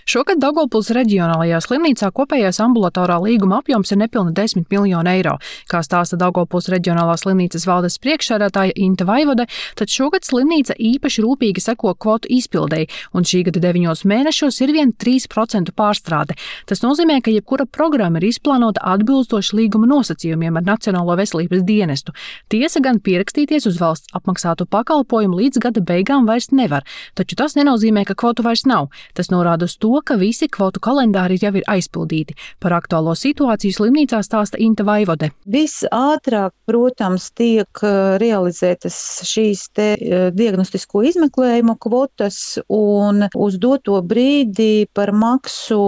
Šogad Daugavpils reģionālajā slimnīcā kopējais ambulatorā līguma apjoms ir nepilni 10 miljoni eiro. Kā stāsta Daugavpils reģionālās slimnīcas valdes priekšsēdētāja Inta Vaivode, tad šogad slimnīca īpaši rūpīgi seko kvotu izpildēji, un šī gada 9 mēnešos ir vien 3% pārstrāde. Tas nozīmē, ka jebkura programma ir izplānota atbilstoši līguma nosacījumiem ar Nacionālo veselības dienestu. Tiesa gan pierakstīties uz valsts apmaksātu pakalpojumu līdz gada beigām vairs nevar, taču tas nenozīmē, ka kvotu vairs nav. Tas norāda uz to, ka visi kvotu kalendāri jau ir aizpildīti. Par aktuālo situāciju slimnīcā stāsta Inta Vaivode. Visātrāk, protams, tiek realizētas šīs diagnostisko izmeklējumu kvotas, un uz doto brīdi par maksu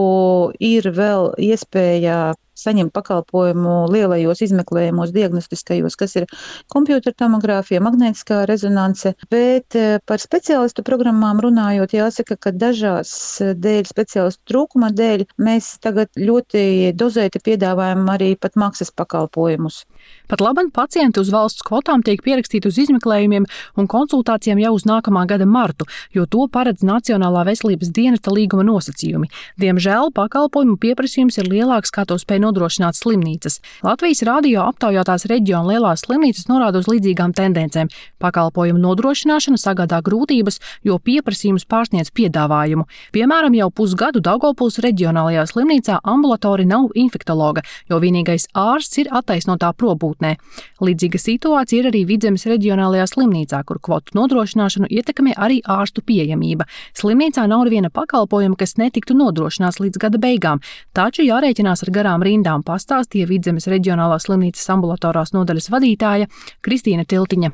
ir vēl iespēja saņemt pakalpojumu lielajos izmeklējumos diagnostiskajos, kas ir kompjutertomogrāfija, magnētiskā rezonance, bet par speciālistu programmām runājot, jāsaka, ka dažās dēļ speciālistu trūkuma dēļ mēs tagad ļoti dozēti piedāvājam arī pat maksas pakalpojumus. Pat labam pacienti uz valsts kvotām tiek pierakstīti uz izmeklējumiem un konsultācijām jau uz nākamā gada martu, jo to paredz Nacionālā veselības dienesta līguma nosacījumi. Diemžēl pakalpojumu pieprasījums ir lielāks, kā to spēj nodrošināt slimnīcas. Latvijas radio aptaujātās reģiona lielās slimnīcas norāda uz līdzīgām tendencēm. Pakalpojumu nodrošināšana sagādā grūtības, jo pieprasījums pārsniedz piedāvājumu. Piemēram, jau pusgadu Daugavpils reģionālajā slimnīcā ambulatori nav infektologa, jo vienīgais ārsts ir attaisnotā probūtnē. Līdzīga situācija ir arī Vidzemes reģionālajā slimnīcā, kur kvotu nodrošināšanu ietekmē arī ārstu pieejamība. Slimnīcā nav neviena pakalpojuma, kas netiktu nodrošināts līdz gada beigām, taču jārēķinās ar garām rindām, pastāstīja Vidzemes reģionālās slimnīcas ambulatorās nodaļas vadītāja Kristīna Tiltiņa.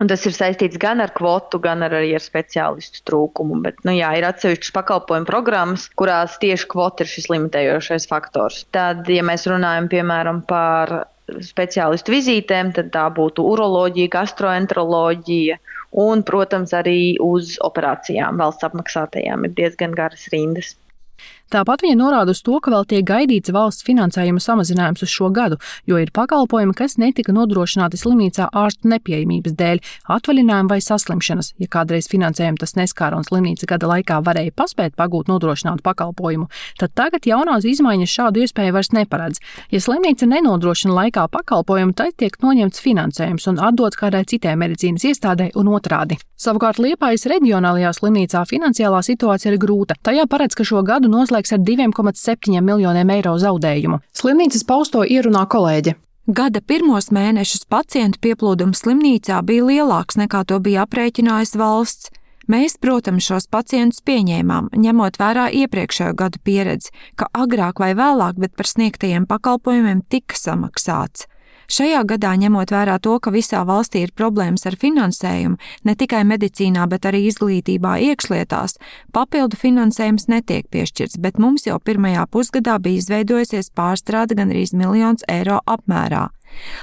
Un tas ir saistīts gan ar kvotu, gan arī ar speciālistu trūkumu. Bet, ir atsevišķas pakalpojumu programmas, kurās tieši kvota ir šis limitējošais faktors. Tad, ja mēs runājam, piemēram, par speciālistu vizītēm, tad tā būtu uroloģija, gastroenteroloģija un, protams, arī uz operācijām valsts apmaksātajām ir diezgan garas rindas. Tāpat viņa norāda uz to, ka vēl tiek gaidīts valsts finansējuma samazinājums uz šo gadu, jo ir pakalpojumi, kas netika nodrošināti slimnīcā ārstu nepieejamības dēļ, atvaļinājuma vai saslimšanas. Ja kādreiz finansējumu tas neskāra un slimnīca gada laikā varēja paspēt pagūt nodrošinātu pakalpojumu, tad tagad jaunās izmaiņas šādu iespēju vairs neparedz. Ja slimnīca nenodrošina laikā pakalpojumu, tad tiek noņemts finansējums un atdots kādai citai medicīnas iestādei un otrādi. Savukārt Liepājas reģionālajā slimnīcā finansiālā situācija ir grūta. Tajā paredz, ka šo gadu noslēgs ar 2,7 miljoniem eiro zaudējumu. Slimnīcas pausto ierunā kolēģe. Gada pirmos mēnešus pacientu pieplūdums slimnīcā bija lielāks nekā to bija aprēķinājis valsts. Mēs, protams, šos pacientus pieņēmām, ņemot vērā iepriekšējo gadu pieredzi, ka agrāk vai vēlāk, bet par sniegtajiem pakalpojumiem tika samaksāts. Šajā gadā, ņemot vērā to, ka visā valstī ir problēmas ar finansējumu, ne tikai medicīnā, bet arī izglītībā, iekšlietās, papildu finansējums netiek piešķirts, bet mums jau pirmajā pusgadā bija izveidojusies pārstrāde gandrīz 1 miljons eiro apmērā.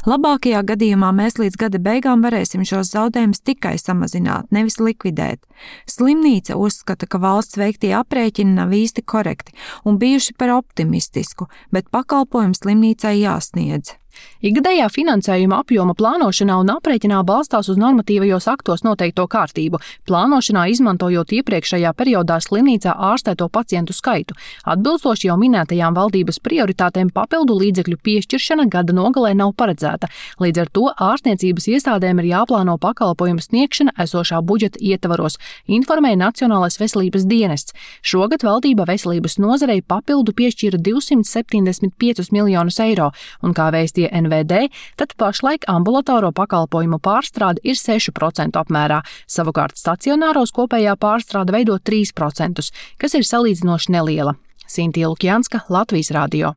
Labākajā gadījumā mēs līdz gada beigām varēsim šos zaudējumus tikai samazināt, nevis likvidēt. Slimnīca uzskata, ka valsts veiktie aprēķini nav īsti korekti un bijuši par optimistisku, bet pakalpojums slimnīcai jāsniedz. Ikgadējā finansējuma apjoma plānošanā un aprēķinā balstās uz normatīvajos aktos noteikto kārtību, plānošanā izmantojot iepriekšējā periodā slimnīcā ārstēto pacientu skaitu. Atbilstoši jau minētajām valdības prioritātēm papildu līdzekļu piešķiršana gada nogalē nav paredzēta. Līdz ar to ārstniecības iestādēm ir jāplāno pakalpojumu sniegšana esošā budžeta ietvaros, informēja Nacionālais veselības dienests. Šogad valdība veselības nozarei papildu piešķīra 275 miljonus eiro, un kā vēstīja NVD, tad pašlaik ambulatoro pakalpojumu pārstrāde ir 6% apmērā, savukārt stacionāros kopējā pārstrāde veido 3%, kas ir salīdzinoši neliela. Sintīna Lukjanska, Latvijas radio.